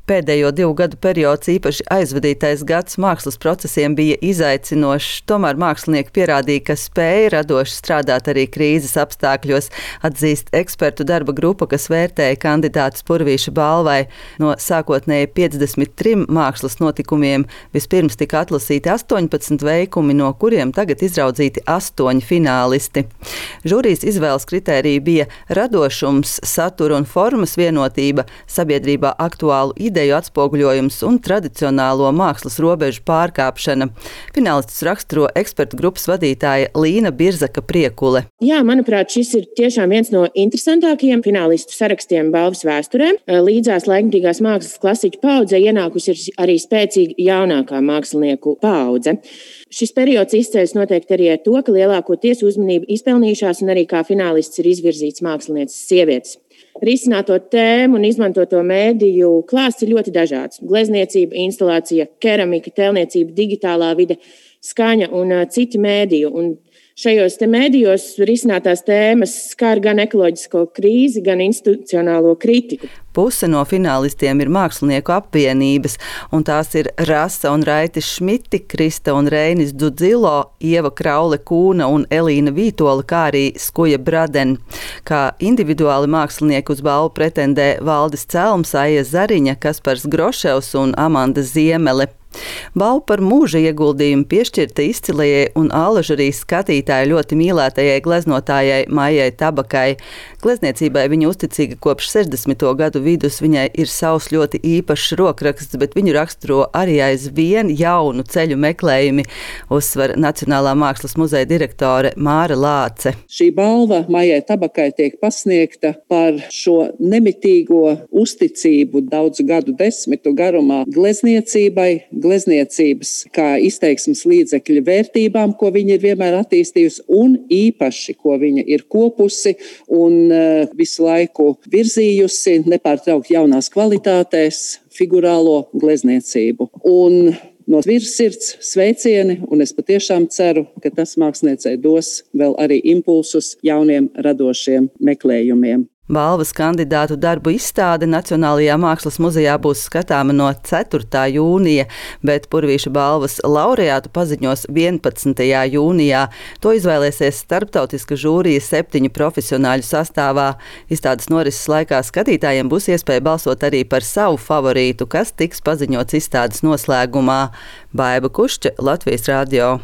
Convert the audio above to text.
Pēdējo 2 gadu periods, īpaši aizvadītais gads mākslas procesiem, bija izaicinošs. Tomēr mākslinieki pierādīja, ka spēja radoši strādāt arī krīzes apstākļos, atzīst ekspertu darba grupa, kas vērtēja kandidātus Purvīša balvai. No sākotnēji 53 mākslas notikumiem vispirms tika atlasīti 18 veikumi, no kuriem tagad izraudzīti 8 finālisti. Žūrijas izvēles kritērija bija radošums, satura un formas vienotība, sabiedrībā aktuālu ideju atspoguļojums un tradicionālo mākslas robežu pārkāpšana. Finālistus raksturo ekspertu grupas vadītāja Līna Birzaka-Priekule. Jā, manuprāt, šis ir tiešām viens no interesantākajiem finālistu sarakstiem balvas vēsturē. Līdzās laikmatīgās mākslas klasiķu paaudzē ienākusi ir arī spēcīga jaunākā mākslinieku paudze. Šis periods izceļas noteikti arī ar to, ka lielākoties uzmanību izpelnījušās un arī kā finālists ir izvirzīts mākslinieces sievietes. Risināto tēmu un izmantoto mēdīju klāsts ir ļoti dažāds. Glezniecība, instalācija, keramika, tēlniecība, digitālā vide, skaņa un citi mēdīju. Un šajos mēdījos risinātās tēmas skar gan ekoloģisko krīzi, gan institucionālo kritiku. Puse no finālistiem ir mākslinieku apvienības, un tās ir Rasa un Raitis Šmiti, Krista un Reinis Dudzilo, Ieva Kraule-Kūna un Elīna Vītola, kā arī Skuja Braden. Kā individuāli mākslinieki uz balvu pretendē Valdis Celms, Aija Zariņa, Kaspars Groševs un Amanda Ziemele. Balvu par mūža ieguldījumu piešķirta izcilajai un allažarijas skatītāju ļoti mīlētajai gleznotājai Maijai Tabakai. Glezniecībai viņa uzticīga kopš 60. gadu vidus, viņai ir savs ļoti īpašs rokraksts, bet viņu raksturo arī aizvien jaunu ceļu meklējumi, uzsver Nacionālā mākslas muzeja direktore Māra Lāce. Šī balva Maijai Tabakai tiek pasniegta par šo nemitīgo uzticību daudzu gadu desmitu garumā glezniecības kā izteiksmes līdzekļa vērtībām, ko viņa ir vienmēr attīstījusi, un īpaši, ko viņa ir kopusi un visu laiku virzījusi, nepārtraukti jaunās kvalitātēs, figurālo glezniecību. Un no virsirds sveicieni, un es patiešām ceru, ka tas māksliniecei dos vēl arī impulsus jauniem radošiem meklējumiem. Balvas kandidātu darbu izstāde Nacionālajā mākslas muzejā būs skatāma no 4. jūnija, bet Purvīša balvas laureātu paziņos 11. jūnijā. To izvēlēsies starptautiska žūrija 7 profesionāļu sastāvā. Izstādes norises laikā skatītājiem būs iespēja balsot arī par savu favorītu, kas tiks paziņots izstādes noslēgumā. Baiba Kušķa, Latvijas radio.